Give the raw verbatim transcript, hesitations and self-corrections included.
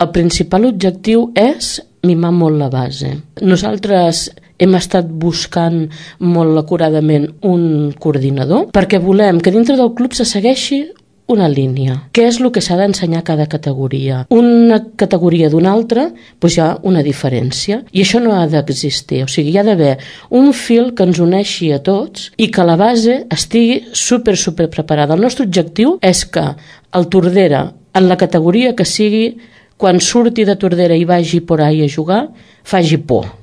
El principal objectiu és mimar molt la base. Nosaltres hem estat buscant molt acuradament un coordinador perquè volem que dintre del club se segueixi una línia. Què és el que s'ha d'ensenyar a cada categoria? Una categoria d'una altra, doncs hi ha una diferència. I això no ha d'existir. O sigui, hi ha d'haver un fil que ens uneixi a tots i que la base estigui super, super preparada. El nostre objectiu és que el Tordera, en la categoria que sigui, quan surti de Tordera i vagi por ahí a jugar, faci por.